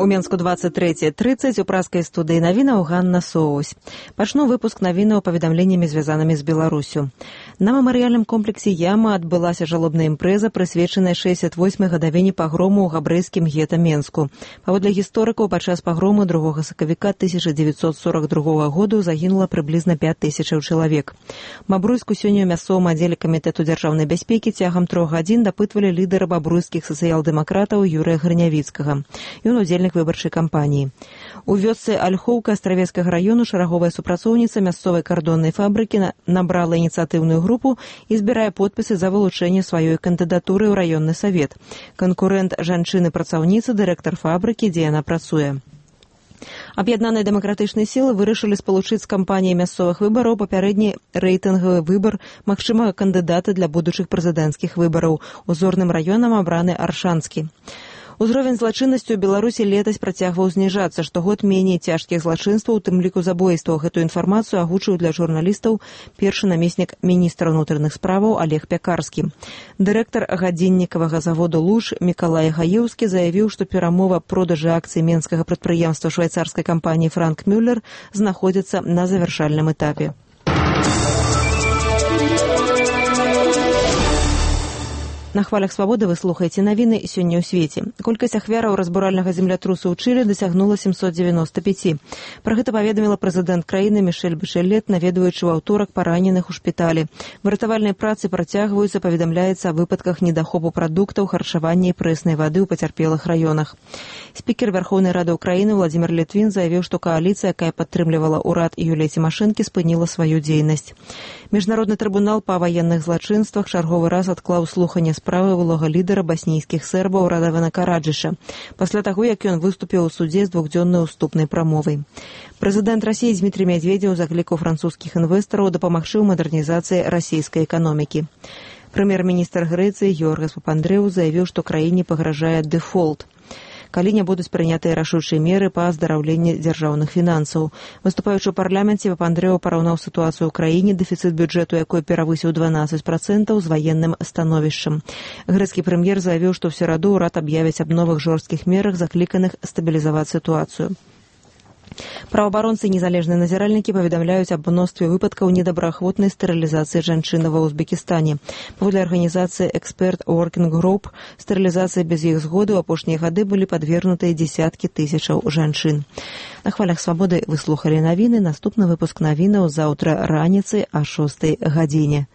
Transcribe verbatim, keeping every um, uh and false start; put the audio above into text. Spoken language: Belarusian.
У Менску двадцать третье тридцать у праскай студыі навінаў Ганна Соусь. Пачну выпуск навінаў паведамленнямі, звязанымі з Беларусю. На мемарыяльным комплексе Яма адбылася жалобная імпрэза, прысвечаная шэсцьдзесят восьмай гадавіне пагрому ў габрэйскім гета Менску. Паводле гісторыкаў, падчас пагрому другога сакавіка тысяча дзевяцьсот сорок другога году загінула прыблізна пяць тысячаў чалавек. Бабруйску сёння ў мясцовым аддзеле камітэту дзяржаўнай бяспекі цягам трох гадзін дапытвалі лідара бабруйскіх сацыял-дэмакратаў Юрыя Грынявіцкага. Ён удзельнік выбарчай кампаніі. У вёсцы Альхоўка Астравецкага раёну шараговая супрацоўніца мясцовай кардоннай фабрыкі набрала ініцыятыўную групу і збірае подпісы за вылучэнне сваёй кандыдатуры ў раённы савет. Канкурэнт жанчыны-працаўніцы, дырэктар фабрыкі, дзе яна працуе. Аб'яднаныя дэмакратычныя сілы вырашылі спалучыць з кампаніяй мясцовых выбараў папярэдні рэйтынгавы выбар магчымага кандыдата для будучых прэзідэнцкіх выбараў. Узорным раёнам абраны Аршанскі. Узровень злачыннасці ў Беларусі летась працягваў зніжацца, штогод меней цяжкіх злачынстваў, у тым ліку забойстваў. Гэтую інфармацыю агучыў для журналістаў першы намеснік міністра ўнутраных справаў Олег Пякарскі. Дырэктар гадзіннікавага заводу «Луж» Мікалай Гаеўскі заявіў, што перамова продажы акцый менскага прадпрыемства швайцарскай кампаніі «Франк Мюллер» знаходзіцца на завяршальным этапе. На хвалях свабоды вы слухаеце навіны сёння ў свеце. Колькасць ахвяраў разбуральнага землятрусу ў Чылі дасягнула семьсот девяносто пять. Пра гэта паведаміла прэзідэнт краіны Мішэль Башэлет, наведваючы ў аўторак параненых у шпіталі. Выратавальныя працы працягваюцца, паведамляецца о выпадках недахопу прадуктаў, харчавання і прэснай вады ў пацярпелых раёнах. Спікер Вярхоўнай Рады Ўкраіны Владзімір Літвін заявіў, што кааліцыя, якая падтрымлівала ўрад Юліі Цімашэнкі, спыніла сваю дзейнасць. Міжнародны трыбунал па ваенных злачынствах чарговы раз адклаў слуханне справы вылога лідара баснійскіх сербаў Радавана Караджыша, пасля таго, як ён выступіў у судзе з двухдзённай уступнай прамовай. Прэзідэнт Расіі Дзмітрый Мядзведзеў заклікаў французскіх інвестараў дапамагчы ў мадэрнізацыі расійскай эканомікі. Прэм'ер-міністр Грэцыі Георгас Папандрэу заявіў, што краіне пагражае дэфолт, калі не будуць прынятыя рашучыя меры па аздараўленні дзяржаўных фінансаў. Выступаючы ў парламенце, Папандрэў параўнаў сітуацыю ў краіне, дэфіцыт бюджэту якой перавысіў дванаццаць працэнтаў, з ваенным становішчам. Грэцкі прэм'ер заявіў, што ў сераду ўрад аб'явіць аб новых жорсткіх мерах, закліканых стабілізаваць сітуацыю. Праваабаронцы і незалежныя назіральнікі паведамляюць аб мностве выпадкаў недобраахвотнай стэрылізацыі жанчын ва Узбекістане. Паводле арганізацыі «Эксперт Working Group», стэрылізацыі без іх згоды ў апошнія гады былі падвергнутыя дзесяткі тысячаў жанчын. На хвалях свабоды вы слухалі навіны. Наступны выпуск навінаў заўтра раніцай о шостай гадзіне.